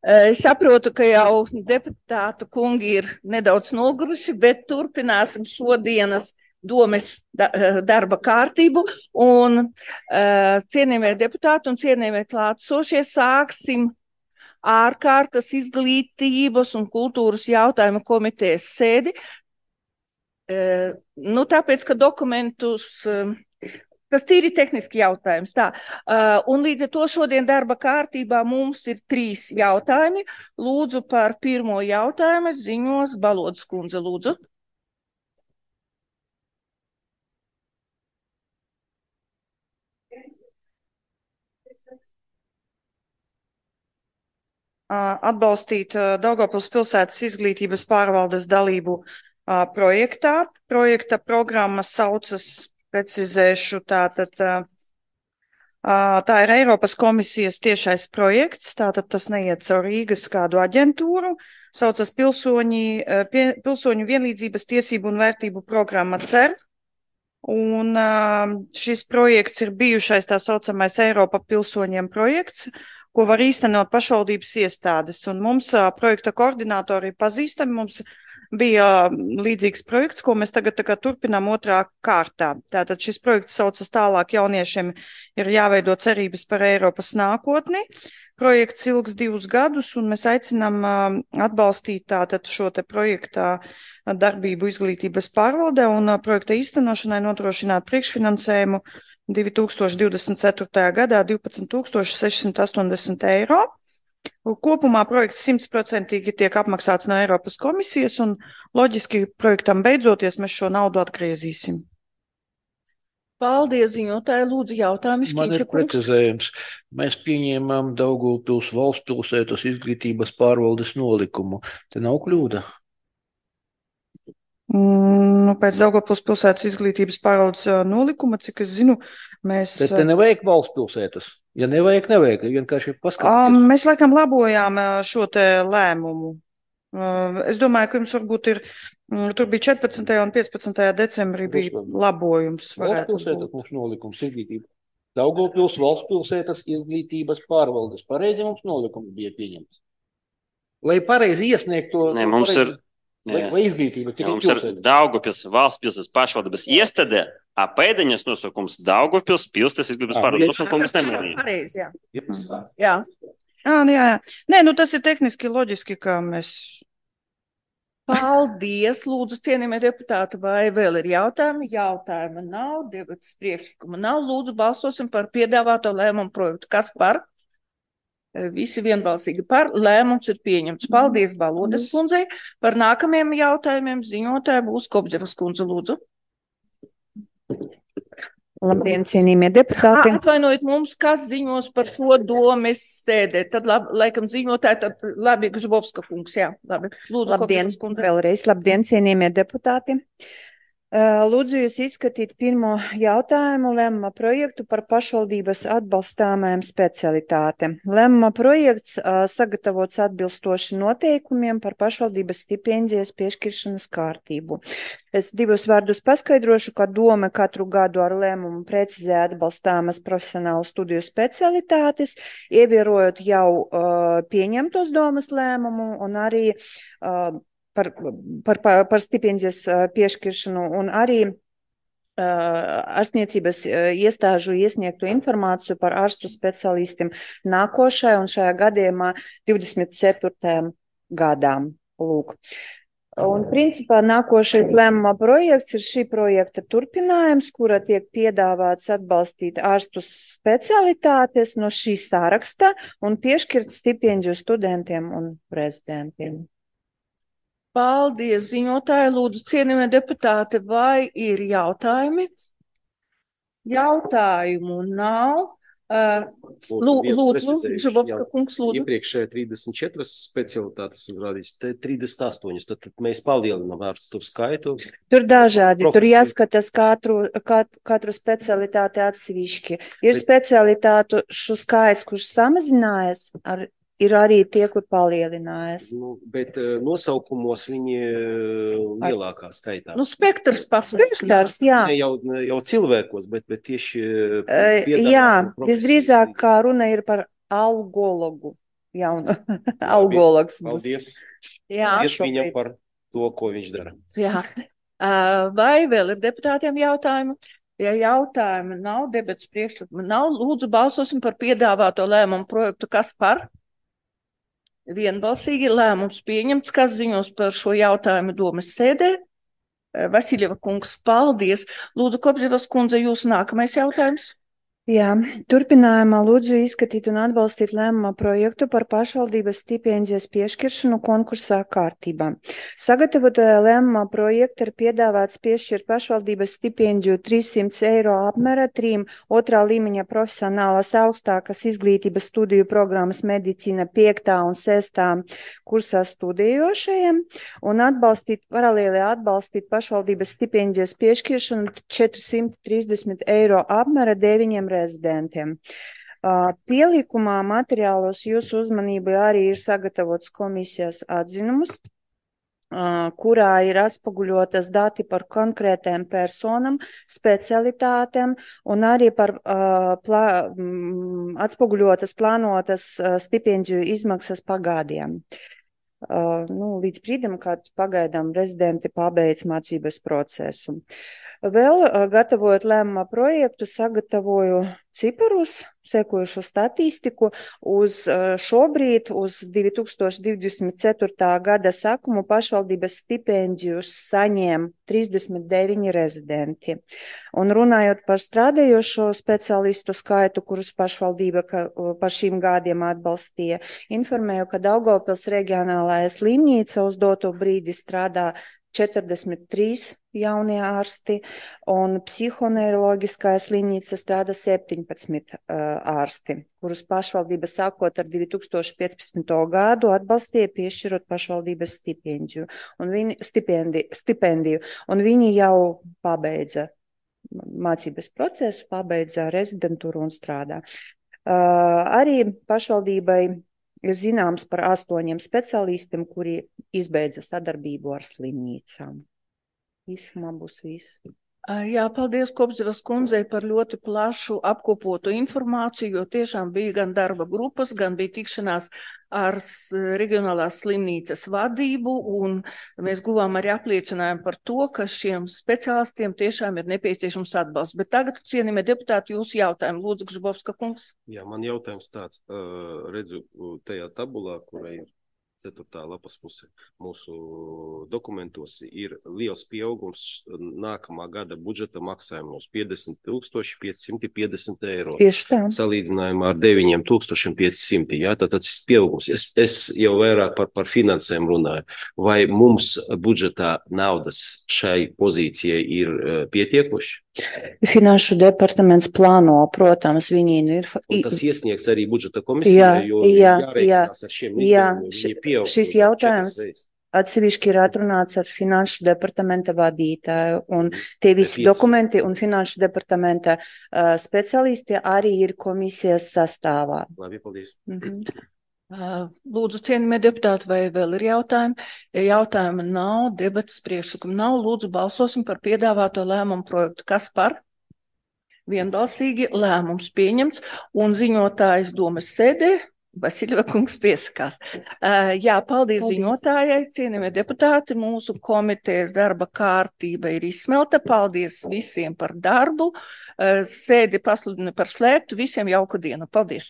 Es saprotu, ka jau deputātu kungi ir nedaudz noguruši, bet turpināsim šodienas domes darba kārtību. Un cienījamie deputāti un cienījamie klātsošie, sāksim ārkārtas izglītības un kultūras jautājumu komitejas sēdi. Tāpēc, ka dokumentus, kas tīri tehniski jautājums. Un līdz ar to šodien darba kārtībā mums ir 3 jautājumi. Lūdzu, par pirmo jautājumu ziņos Balodas kundze, lūdzu. Atbalstīt Daugavpils pilsētas izglītības pārvaldes dalību projektā. Projekta programma saucas, precizēšu, tātad tā ir Eiropas komisijas tiešais projekts, tātad tas neiet caur Rīgas kādu aģentūru, saucas Pilsoņu vienlīdzības tiesību un vērtību programma CER. Un šis projekts ir bijušais tā saucamais Eiropa pilsoņiem projekts, ko var īstenot pašvaldības iestādes. Un mums projekta koordinātori pazīstami, mums bija līdzīgs projekts, ko mēs tagad turpinām 2. kārtā. Tātad šis projekts saucas Tālāk jauniešiem ir jāveido cerības par Eiropas nākotni. Projekts ilgs 2 gadus, un mēs aicinām atbalstīt tātad šo te projekta darbību izglītības pārvaldē un projekta īstenošanai nodrošināt priekšfinansējumu 2024. gadā 12 680 eiro. Kopumā projekts 100% tiek apmaksāts no Eiropas komisijas, un loģiski projektam beidzoties mēs šo naudu atgriezīsim. Paldies, ziņotāji. Lūdzu, jautājums. Man ir precizējums. Mēs pieņēmām Daugavpils valstspilsētas izglītības pārvaldes nolikumu. Te nav kļūda? Pēc Daugavpils pilsētas izglītības pārvaldes nolikuma, cik es zinu, mēs... Te nevajag valstspilsētas. Ja nevajag, vienkārši paskatīties. Mēs laikam labojām šo te lēmumu. Es domāju, ka jums varbūt ir, tur bija 14. un 15. decembrī bija labojums. Valstspilsētas mums nolikums izglītība. Daugavpils valstspilsētas izglītības pārvaldes. Pareizi mums nolikums bija pieņemts. Lai pareizi iesniegtu... Nē, mums ir... Vai izglītība? Mums ir Daugavpils valstspilsētas pašvaldības iestāde, apēdiņas nosakums Daugavpils pilsētas izglītības pārvaldes nosakums nemanīja. Pareizi, jā. Jā. Nē, tas ir tehniski loģiski, ka mēs... Paldies, lūdzu, cienījamie deputāti, vai vēl ir jautājumi? Jautājuma nav, debates priekšlikuma nav. Lūdzu, balsosim par piedāvāto lēmumu projektu. Kas par? Visi vienbalsīgi par. Lēmums ir pieņemts. Paldies Balodas kundzei. Par nākamajiem jautājumiem ziņotāja būs Kobzevas kundze, lūdzu. Labdien, cienījamie deputāti. Atvainojiet mums, kas ziņos par šo domes sēdē. Tad laikam ziņotāji, tad labi, Gžbovska kungs, jā. Labi. Lūdzu, labdien, Kobzevas kundze. Vēlreiz labdien, cienījamie deputāti. Lūdzu jūs izskatīt pirmo jautājumu lēmuma projektu par pašvaldības atbalstāmajām specialitātēm. Lēmuma projekts sagatavots atbilstoši noteikumiem par pašvaldības stipendijas piešķiršanas kārtību. Es 2 vārdus paskaidrošu, ka doma katru gadu ar lēmumu precizē atbalstāmas profesionālu studiju specialitātes, ievērojot jau pieņemtos domas lēmumu un arī par stipendijas piešķiršanu un arī ārstniecības iestāžu iesniegtu informāciju par ārstu specialistiem nākošai un šajā gadījumā 24. gadām. Lūk. Un principā nākošais lēmuma projekts ir šī projekta turpinājums, kura tiek piedāvāts atbalstīt ārstu specialitātes no šī saraksta un piešķirt stipendiju studentiem un prezidentiem. Paldies, ziņotāji. Lūdzu, cienījamie deputāti, vai ir jautājumi? Jautājumu nav. Lūdzu, Žabovska kungs, lūdzu. Iepriekšēji 34 specialitātes un rādīs 38, tad mēs palielinām ārstu skaitu. Tur dažādi, tur jāskatās katru specialitāti atsevišķi. Ir specialitātu šo skaits, kurš samazinājas ar ir arī tie, kur palielinājas. Bet nosaukumos viņi lielākā skaitā. Spektrs pasmērs. Spektrs, jā. Ne jau cilvēkos, bet tieši jā, visdrīzāk kā runa ir par algologu. Jaunu algologs. Paldies. Jā. Paldies viņam par to, ko viņš dara. Jā. Vai vēl ir deputātiem jautājumi? Ja jautājumi nav, debats priekšlikumi nav, lūdzu balsosim par piedāvāto lēmumu projektu. Kas par? Vienbalsīgi lēmums pieņemts, kas ziņos par šo jautājumu domas sēdē. Vasiljeva kungs, paldies. Lūdzu, Kopzivas kundze, jūsu nākamais jautājums. Jā, turpinājumā lūdzu izskatīt un atbalstīt lēmuma projektu par pašvaldības stipendijas piešķiršanu konkursā kārtībā. Sagatavotajā lēmuma projekta ir piedāvāts piešķirt pašvaldības stipendiju 300 eiro apmēra 3 otrā līmeņa profesionālās augstākas izglītības studiju programmas medicīna 5. un 6. kursā studējošajiem un paralēli atbalstīt pašvaldības stipendijas piešķiršanu 430 eiro apmēra 9 rezidentiem. Pielikumā materiālos jūsu uzmanībai arī ir sagatavots komisijas atzinums, kurā ir atspoguļotas dati par konkrētiem personam, specialitātēm un arī par atspoguļotas plānotas stipendiju izmaksas pagādiem. Līdz brīdim, kad pagaidām rezidenti pabeidz mācības procesu. Vēl, gatavojot lēmuma projektu, sagatavoju ciparus, sekojušo statistiku uz šobrīd, uz 2024. gada sākumu pašvaldības stipendiju saņēma 39 rezidenti. Un runājot par strādājošo speciālistu skaitu, kurus pašvaldība par šīm gadiem atbalstīja, informēju, ka Daugavpils reģionālajā slimnīca uz doto brīdi strādā 43 jaunie ārsti un psihoneiroloģiskajā slimnīca strādā 17 ārsti, kurus pašvaldība sākot ar 2015. gadu atbalstīja piešķirot pašvaldības stipendiju, un viņi jau pabeidza mācības procesu, pabeidza rezidentūru un strādā. Arī pašvaldībai ir zināms par 8 speciālistiem, kuri izbeidza sadarbību ar slimnīcām. Īsumā būs viss. Jā, paldies Kopzivas kundzei par ļoti plašu apkopotu informāciju, jo tiešām bija gan darba grupas, gan bija tikšanās ar reģionālās slimnīcas vadību, un mēs guvām arī apliecinājumu par to, ka šiem speciālistiem tiešām ir nepieciešams atbalsts. Bet tagad, cienījamie deputāti, jūsu jautājumu. Lūdzu, Gržbovska kungs. Jā, man jautājums tāds. Redzu tajā tabulā, kurai 4. lapas puse mūsu dokumentos ir liels pieaugums nākamā gada budžeta maksājumos 50 550 eiro. Tieši tā. Salīdzinājumā ar 9500. Jā, tātad pieaugums. Es jau vairāk par finansēm runāju. Vai mums budžetā naudas šai pozīcijai ir pietiekoši? Finanšu departaments plāno, protams, viņi ir. Un tas iesniegts arī budžeta komisijai, jo jārēķinās ar šiem izdevumiem. Šis jautājums atsevišķi ir atrunāts ar finanšu departamenta vadītāju, un tie visi dokumenti un finanšu departamenta speciālisti arī ir komisijas sastāvā. Labi, paldies. Lūdzu, cienījamie deputāti, vai vēl ir jautājumi? Ja jautājumi nav, debatas priekšlikumi nav, lūdzu balsosim par piedāvāto lēmumu projektu. Kas par? Vienbalsīgi lēmums pieņemts, un ziņotājs domas sēdē Vasiljeva kungs piesakās. Jā, paldies ziņotājai, cienījamie deputāti, mūsu komitejas darba kārtība ir izsmelta. Paldies visiem par darbu. Sēdi pasludinu par slēgtu, visiem jauku dienu. Paldies!